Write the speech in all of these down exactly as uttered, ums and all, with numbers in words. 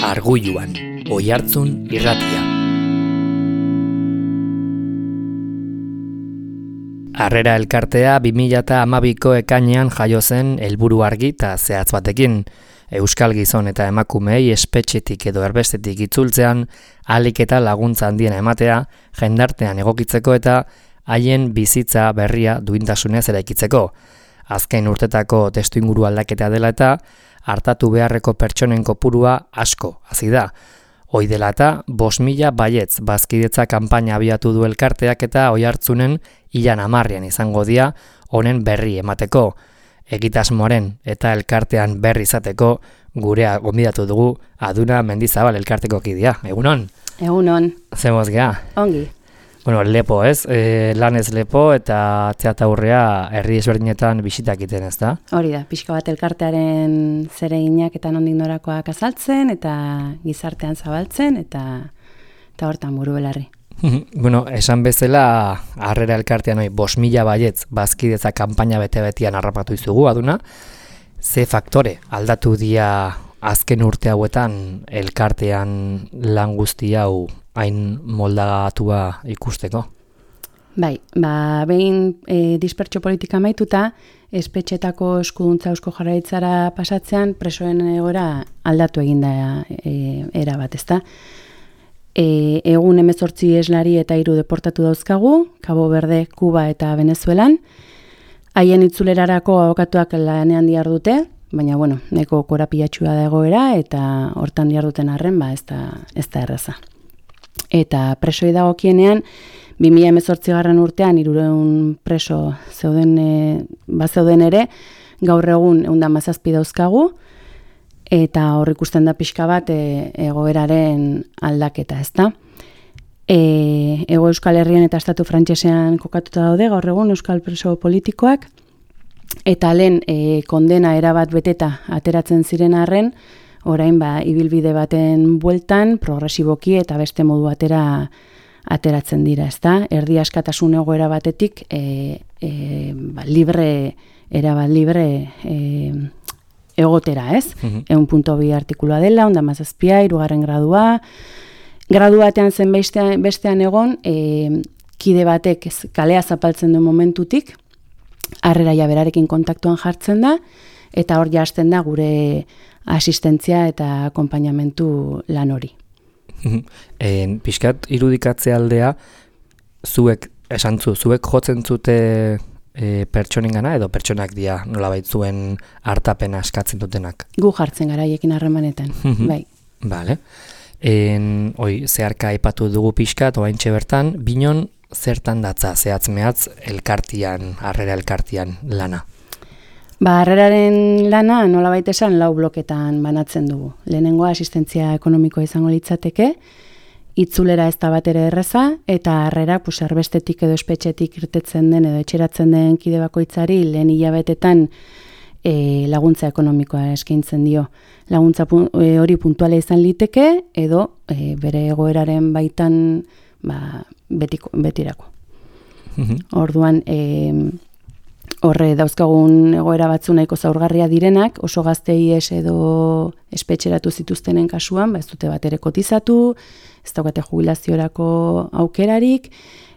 Argulluan, Oihartzun irratia. Harrera elkartea bi mila hamabiko ekainean jaio zen helburu argi eta zehatz batekin. Euskal gizon eta emakumeei espetxetik edo erbestetik itzultzean ahalik eta laguntza handiena ematea, jendartean egokitzeko eta haien bizitza berria duintasunez eraikitzeko. Azken urtetako testuinguru aldaketa dela eta hartatu beharreko pertsonen kopurua asko hazi da. Hoi dela eta bost mila baietz bazkidetza kanpaina abiatu du elkarteak eta Oihartzunen ilan hamarrean izango dira honen berri emateko. Egitasmoaren eta elkartean berri izateko gurea gonbidatu dugu Aduna Mendizabal elkarteko kidea. Egunon? Egunon. Zemoz gea? Ongi. Bueno, lepo ez, e, lanez lepo eta atzea aurrea herri ezberdinetan bisitak iten ez da? Hori da, pixka bat elkartearen zereginak eta nondik norakoak azaltzen eta gizartean zabaltzen eta, eta hortan buru belarri. Bueno, esan bezala harrera elkartean hori bost mila baietz bazkidetza kanpaina bete-betian harrapatu izugu, Aduna. Ze faktore aldatu dia azken urte hauetan elkartean lan guzti hau hain moldagatua ikusteko? Bai, ba, behin e, dispertsio politika maituta, espetxetako eskuduntza eusko jarraitzara pasatzean presoen egora aldatu eginda e, era bat, ezta? E, egun hemezortzi eslari eta hiru deportatu dauzkagu, Cabo Verde, Kuba eta Venezuelan. Haien itzulerarako abokatuak lanean dihardute, baina bueno, neko korapilatxua da egoera eta hortan diharduten arren, ba, ez da, ez da erraza. Eta presoi dagokienean, bi mila hemezortzigarren urtean hirurehun preso zeuden, e, bazeuden ere, gaur egun ehun eta hamazazpi dauzkagu, eta hor ikusten da pixka bat e, egoeraren aldaketa, ezta? E, Ego Euskal Herrian eta Estatu Frantsesean kokatuta daude gaur egun euskal preso politikoak, eta lehen e, kondena erabat beteta ateratzen ziren arren, orain ba, ibilbide baten bueltan, progresiboki eta beste modu atera ateratzen dira, ezta? Erdi askatasun egoera batetik e, e, ba, libre, erabat libre e, egotera, ez? Mhm. Ehun puntu bi artikulua dela, onda mazazpia, hirugarren gradua. Gradu batean zen bestean, bestean egon, e, kide batek kalea zapaltzen duen momentutik, harrera berarekin kontaktuan jartzen da, eta hor hasten da gure asistentzia eta akonpainamentu lan hori. En, pixkat irudikatze aldea, zuek, esantzu, zuek jotzen zute e, pertsonengana edo pertsonak dira nolabait zuen hartapena eskatzen dutenak? Gu jartzen gara haiekin harremanetan, bai. Vale. En, oi, zeharka aipatu dugu pixkat, oaintxe bertan, binon zertan datza, zehatz-mehatz elkartian, harrera elkartian lana? Ba, harreraren lana nolabait esan lau bloketan banatzen dugu. Lehenengoa asistentzia ekonomikoa izango litzateke, itzulera ez da bat ere erreza, eta harrera pues, erbestetik edo espetxetik irtetzen den edo etxeratzen den kide bakoitzari lehen hilabetetan e, laguntza ekonomikoa eskaintzen dio. Laguntza pun, e, hori puntuala izan liteke edo e, bere egoeraren baitan ba, betiko, betirako. Orduan, e, horre dauzkagun egoera batzu nahiko zaurgarria direnak, oso gaztei ez edo espetxeratu zituztenen kasuan, ba ez dute bat ere kotizatu, ez daukate jubilaziorako aukerarik,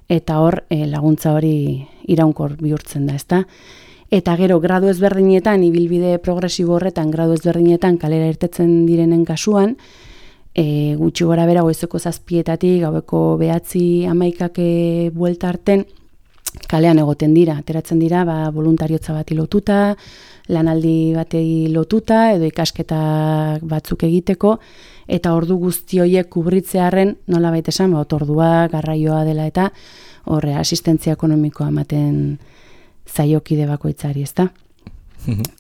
eta hor e, laguntza hori iraunkor bihurtzen da, ezta? Eta gero, gradu ezberdinetan, ibilbide progresibo horretan, gradu ezberdinetan kalera irtetzen direnen kasuan, e, gutxi gora bera goizeko zazpietatik, gaueko behatzi hamaikake buelta arten, kalean egoten dira, ateratzen dira, ba, voluntariotza bati lotuta, lanaldi batei lotuta, edo ikasketa batzuk egiteko, eta ordu guzti horiek kubritzearren, nola baita esan, ba, otordua, garraioa dela eta horre asistentzia ekonomikoa ematen zaiokide bakoitzari, ezta?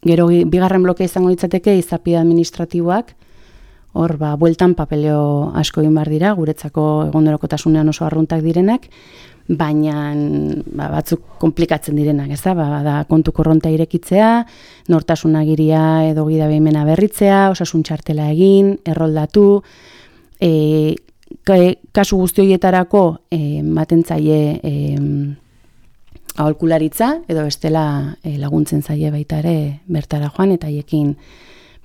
Gero, bigarren bloke izango litzateke, izapide administratiboak, hor, ba, bueltan papeleo asko egin behar dira, guretzako egunerokotasunean oso arruntak direnak, baina ba, batzuk komplikatzen direnak, ez da? Ba, da kontu korronta irekitzea, nortasunagiria edo gidabeimena berritzea, osasun txartela egin, erroldatu, e, kasu guzti horietarako e, matentzaile e, aholkularitza, edo bestela e, laguntzen zaie baita ere bertara joan, eta haiekin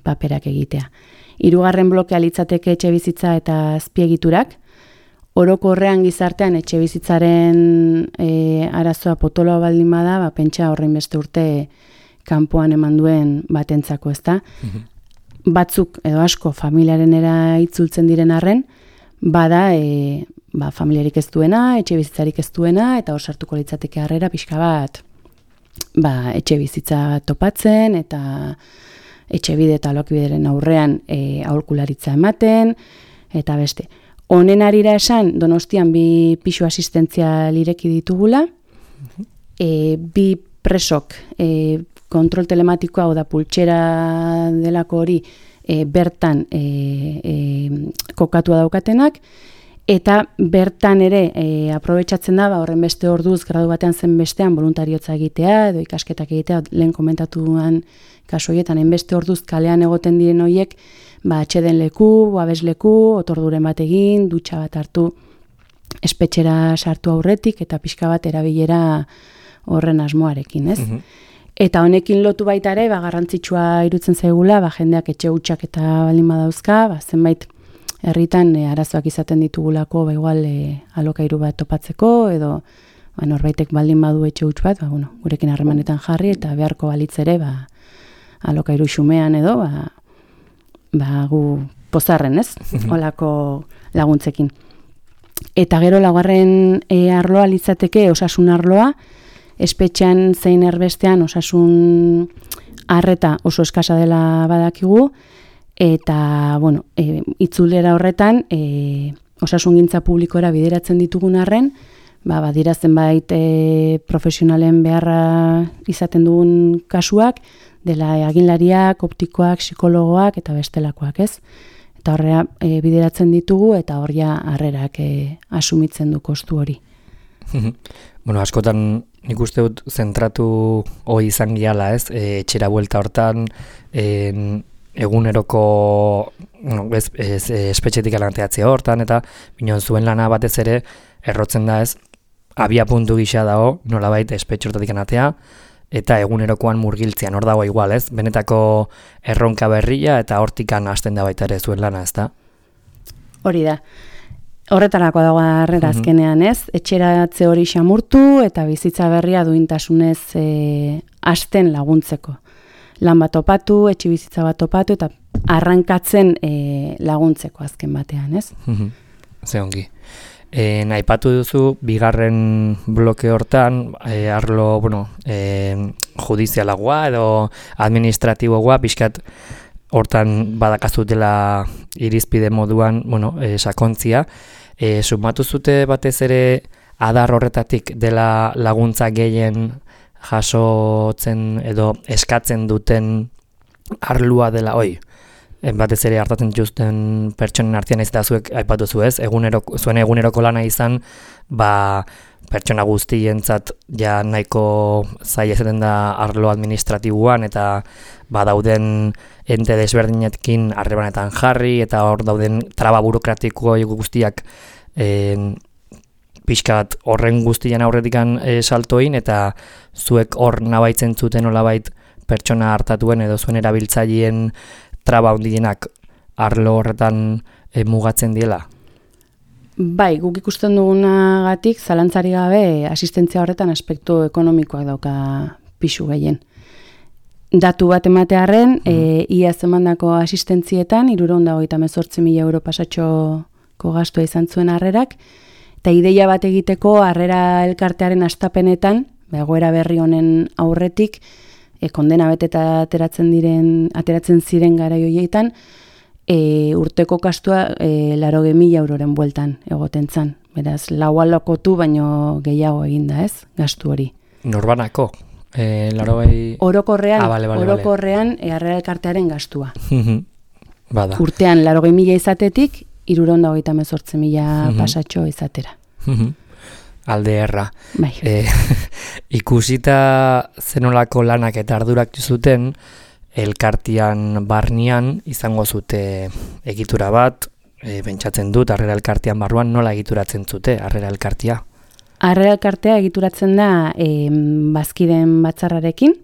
paperak egitea. Hirugarren blokea litzateke etxe bizitza eta azpiegiturak. Orokorrean gizartean etxe bizitzaren e, arazoa potoloa baldin bada, ba, pentsa horrein beste urte kanpoan eman duen batentzako, ezta? Mm-hmm. Batzuk edo asko familiarenera itzultzen diren arren, bada e, ba, familiarik ez duena, etxe bizitzarik ez duena, eta hor sartuko litzateke harrera pixka bat ba, etxe bizitza topatzen, eta etxe bide eta alokibideren aurrean e, aholkularitza ematen, eta beste. Honen arira esan, Donostian bi pisu asistentzial ireki ditugula, e, bi presok e, kontrol telematikoa, hau da pultsera delako hori, e, bertan e, e, kokatua daukatenak, eta bertan ere e, aprobetxatzen da, ba, horren beste orduz, gradu batean zen bestean, voluntariotza egitea, edo ikasketak egitea, lehen komentatuan kasu horietan, beste orduz kalean egoten diren horiek, ba, atxeden leku, babesleku, otorduren bat egin, dutxa bat hartu, espetxera sartu aurretik, eta pixka bat erabilera horren asmoarekin, ez? Mm-hmm. Eta honekin lotu baita ere, ba, garrantzitsua irutzen zaigula, ba, jendeak etxe hutsak eta baldin badauzka, ba, zenbait herritan e, arazoak izaten ditugulako, ba, igual e, alokairu bat topatzeko, edo ba, norbaitek baldin badu etxe huts bat, ba, bueno, gurekin harremanetan jarri, eta beharko balitz ere, ba, alokairu xumean edo, ba, ba, gu pozarren, ez? Olako laguntzekin. Eta gero laugarren e, arloa litzateke osasun arloa, espetxean zein erbestean osasun arreta oso eskasa dela badakigu, eta, bueno, e, itzulera horretan, e, osasungintza publikora bideratzen ditugun arren, ba, badira zenbait e, profesionalen beharra izaten dugun kasuak, dela aginlariak, optikoak, psikologoak eta bestelakoak, ez? Eta horrea e, bideratzen ditugu eta horria harrerak e, asumitzen du kostu hori. Bueno, askotan nik uste dut zentratu hori izan giala, ez? E, etxera buelta hortan, en, eguneroko bueno, ez, ez, espetxetik alanteatzea hortan, eta binon zuen lana batez ere errotzen da, ez? Abia puntu gisa dago, nolabait espetxe hortatik anatea, eta egunerokoan murgiltzean hor dago igual, ez? Benetako erronka berria eta hortikan hasten da baita ere zuen lana, ez da? Hori da. Horretarako dago harrera azkenean, ez? Etxeratze hori xamurtu eta bizitza berria duintasunez e, hasten laguntzeko. Lan bat topatu, etxe bizitza bat topatu eta arrankatzen e, laguntzeko azken batean, ez? Ze ongi. E, naipatu duzu, bigarren bloke hortan, e, arlo, bueno, e, judizialagoa edo administratiboa, pixkat hortan badakazutela irizpide moduan, bueno, e, sakontzia. E, sumatu zute batez ere adar horretatik dela laguntza gehien jasotzen edo eskatzen duten arlua dela, oi, batez ere hartatzen justen pertsonen artean ez da zuek aipatu zu ez, eguneroko, zuen eguneroko lana izan, ba, pertsona guztientzat ja nahiko zaila izaten da arlo administratiboan eta ba dauden ente desberdinekin harremanetan jarri eta hor dauden traba burokratiko guztiak eh, pixkat horren guztian aurretikan e, saltoin eta zuek hor nabaitzen zuten olabait pertsona hartatuen edo zuen erabiltzaileen traba hundienak arlo horretan e, mugatzen diela? Bai, guk ikusten dugunagatik zalantzari gabe asistentzia horretan aspektu ekonomikoak dauka pisu gehien. Datu bat ematearren, mm. e, ia zemandako asistentzietan, hirurehun eta hogeita hemezortzi mila euro pasatxoko gastua izan zuen harrerak, eta ideia bat egiteko harrera elkartearen astapenetan, egoera berri honen aurretik, e, kondena beteta ateratzen diren, ateratzen ziren garai horietan, e, urteko kastua e, laroge mila euroren bueltan egoten zan. Beraz, lau alokotu baino gehiago eginda, ez, gastu hori. Norbanako? E, larogei... Orokorrean, ah, vale, vale, orokorrean vale. Harrera elkartearen gastua. Bada. Urtean larogei mila izatetik, hirurehun eta hogeita hemezortzi mila pasatxo izatera. Alde erra. Bai. E, ikusita zenolako lanak eta ardurak zuten, elkartian barnian izango zute egitura bat, e, pentsatzen dut, harrera elkartian barruan nola egituratzen zute, harrera elkartia? Harrera elkartea egituratzen da e, bazkideen batzarrarekin,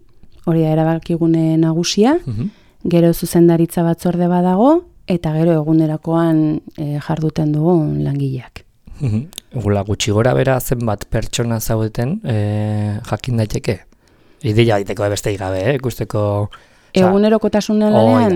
hori da erabakigune nagusia, uh-huh. Gero zuzendaritza batzorde badago, eta gero egunerakoan e, jarduten dugun langileak. Gula gutxi gora bera zenbat pertsona zaudeten e, jakin daiteke? Ideia daiteko beste gabe, eh? Ikusteko... Egunerokotasunen lanean,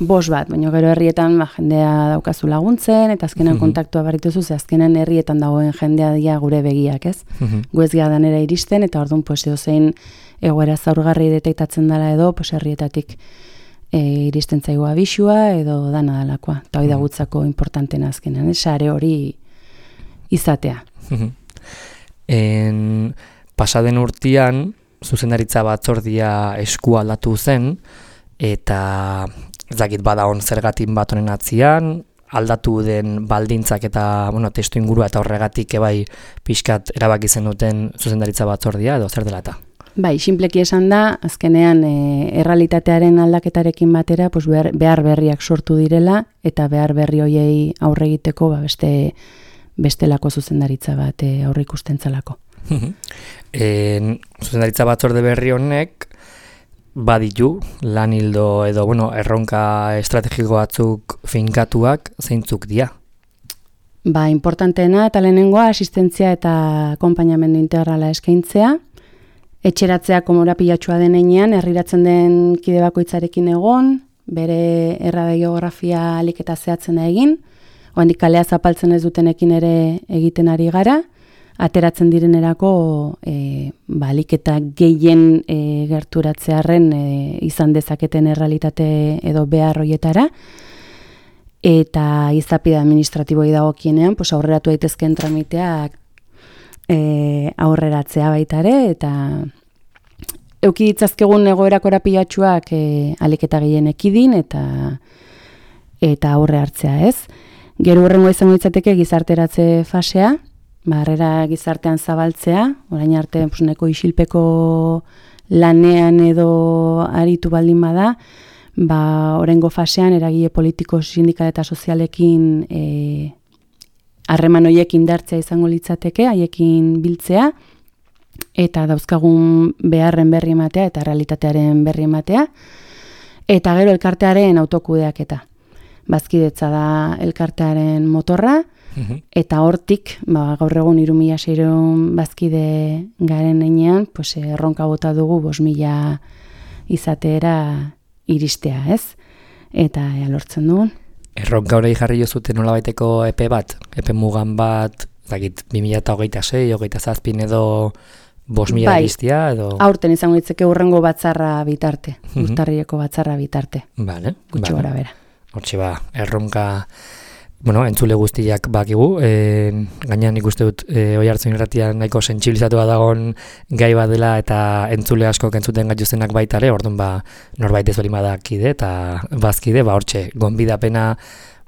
bos bat, baina gero herrietan ba, jendea daukazu laguntzen, eta azkenan mm-hmm. kontaktua barrituzu, ze azkenan herrietan dagoen jendea dia gure begiak, ez? Mm-hmm. Guez danera iristen, eta orduan pues, zein egoera zaurgarri detektatzen dela edo, pues, herrietatik e, iristen zaigu abisua, edo dana dalakoa. Eta hori da gutzako importantena azkenan, ez? Sare hori izatea. Mm-hmm. En, pasaden urtean, zuzendaritza batzordia esku aldatu zen, eta ezagit bada on zergatin bat honen atzian, aldatu den baldintzak eta bueno, testu ingurua eta horregatik ebai pixkat erabaki zen duten zuzendaritza batzordia, edo zer dela eta? Bai, sinpleki esan da, azkenean e, errealitatearen aldaketarekin batera pues behar, behar berriak sortu direla, eta behar berri hoiei aurre egiteko ba, beste, bestelako zuzendaritza bat e, aurre ikusten zalako. En, zuzendaritza batzorde berri honek baditu lan hildo edo bueno, erronka estrategiko batzuk finkatuak zeintzuk dira? Ba, importanteena eta lehenengoa asistentzia eta akonpainamendu integrala eskaintzea, etxeratzea komorapilatxua den heinean, herriratzen den kide bakoitzarekin egon, bere erradiografia alik eta zehatzen egin, oandik kalea zapaltzen ez dutenekin ere egiten ari gara, ateratzen direnerako e, balik eta gehien e, gerturatzearen e, izan dezaketen errealitate edo behar hoietara, eta izapide administratiboi dagokienean pues, aurreratu daitezkeen tramiteak e, aurreratzea baitare, eta euki ditzazkegun egoera korapilatxuak e, alik eta gehien ekidin, eta, eta aurre hartzea ez. Gero hurrengo izango ditzateke gizarteratze fasea, barrera gizartean zabaltzea, orain arte pues, neko isilpeko lanean edo aritu baldin bada, ba, orengo fasean eragile politiko, sindikal eta sozialekin harreman e, hoiek indartzea izango litzateke, haiekin biltzea, eta dauzkagun beharren berri ematea eta realitatearen berri ematea, eta gero elkartearen autokudeaketa. Bazkidetza da elkartearen motorra, eta hortik, ba, gaur egun hiru mila seiehun bazkide garen heinean, pues, erronka bota dugu bost mila izatera iristea, ez? Eta ea lortzen dugun. Erronka hori jarri jozuten nolabaiteko epe bat, epe mugan bat, zakit, bi mila hogeita sei, hogeita zazpin edo bost mila bai, iristia, edo... aurten izango ditzeke hurrengo batzarra bitarte, uh-huh. urtarrileko batzarra bitarte. Vale, gutxi vale. Gora bera. Hortxe ba, erronka... Bueno, entzule guztiak bakigu, e, gainean ikuste dut e, Oiartzun irratian nahiko sentsibilizatua dagoen gai bat dela eta entzule asko entzuten gaituzenak baita ere, orduan ba, norbait ez bali badakide eta bazkide, ba hortxe, gonbidapena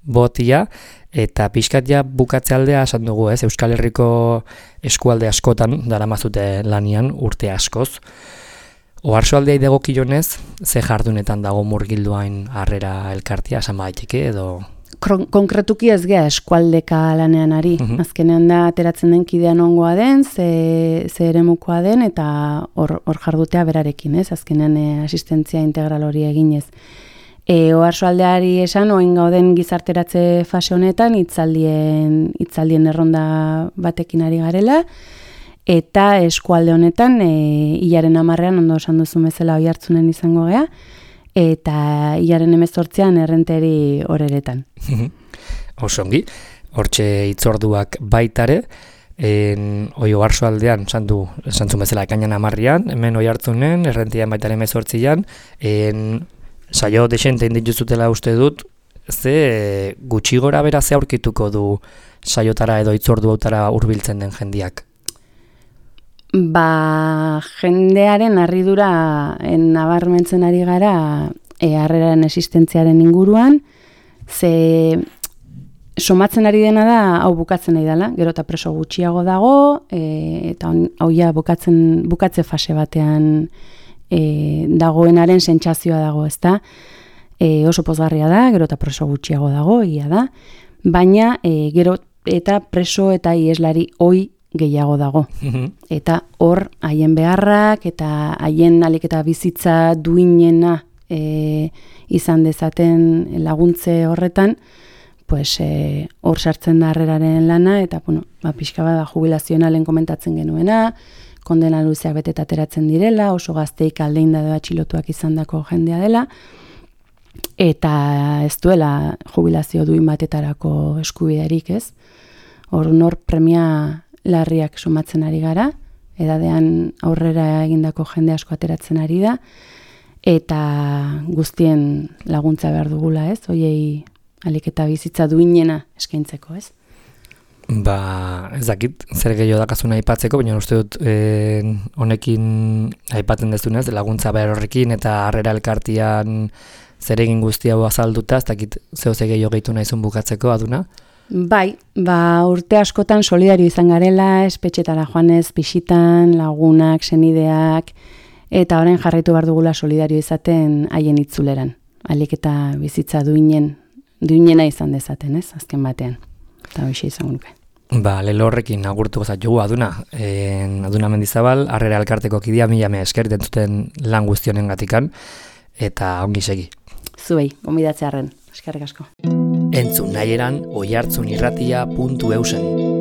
botia, eta pixkat ja bukatze aldea esan dugu, ez, Euskal Herriko eskualde askotan daramazute lanian urte askoz. Oarsoaldea idegokionez, ze jardunetan dago murgilduain harrera elkartia, esan baiteke edo... Konkretuki ez gea eskualdeka lanean ari. Uh-huh. Azkenean da ateratzen den kidean ongoa den, ze, ze eremukoa den, eta hor, hor jardutea berarekin, ez? Azkenean e, asistentzia integral hori eginez. E, Oarsoaldeari esan, oin gauden gizarteratze fase honetan, hitzaldien, hitzaldien erronda batekin ari garela, eta eskualde honetan, e, hilaren hamarrean, ondo esan duzu bezala Oiartzunen izango gea, eta hilaren hemezortzian errenteri horeretan. Osongi, hortxe hitzorduak baitare, en oi Oarsoaldean, santu, santzun bezala ekainan hamarrean, hemen Oiartzunen, errentian baitare hemezortzian, en saio desente indituzutela uste dut, ze gutxi gora bera ze aurkituko du saiotara edo hitzordu hautara hurbiltzen den jendiak? Ba, jendearen harridura nabarmentzen ari gara e, harreraren existentziaren inguruan, ze somatzen ari dena da hau bukatzen nahi dela, gero eta preso gutxiago dago, e, eta hau ja bukatzen, bukatze fase batean e, dagoenaren sentsazioa dago, ezta? E, oso pozgarria da, gero eta preso gutxiago dago, egia da, baina e, gero eta preso eta ieslari hoi gehiago dago. Eta hor, haien beharrak eta haien alik eta bizitza duinena e, izan dezaten laguntze horretan, pues e, hor sartzen da harreraren lana, eta bueno, ba, pixka bat jubilazionalen komentatzen genuena, kondena luzeak beteta ateratzen direla, oso gazteik aldein da atxilotuak izandako jendea dela, eta ez duela jubilazio duin batetarako eskubiderik, ez? Hor nor premia larriak sumatzen ari gara, edadean aurrera egindako jende asko ateratzen ari da, eta guztien laguntza behar dugula, ez? Hoiei alik eta bizitza duinena eskaintzeko, ez? Ba, ez dakit, zer gehiago dakazuna aipatzeko, baina uste dut eh, honekin aipatzen dezunez, laguntza behar horrekin eta harrera elkartian zer egin guztia hau azalduta, ez dakit zeo ze gehiago gehitu nahizun bukatzeko, Aduna? Bai, ba, urte askotan solidario izan garela, espetxetara joanez, pisitan, lagunak, senideak, eta orain jarraitu behar dugula solidario izaten haien itzuleran. Alik eta bizitza duinen, duinena izan dezaten, ez, azken batean. Eta hoxe izango nuke. Ba, lelo horrekin agurtuko zaitu Aduna. En, Aduna Mendizabal, harrera elkarteko kidea, mila mea esker dentzuten lan guztionen gatikan, eta ongi segi. Zuei, gonbidatzearren, eskerrik asko. Entzun nahi eran, oihartzunirratia puntu eusen.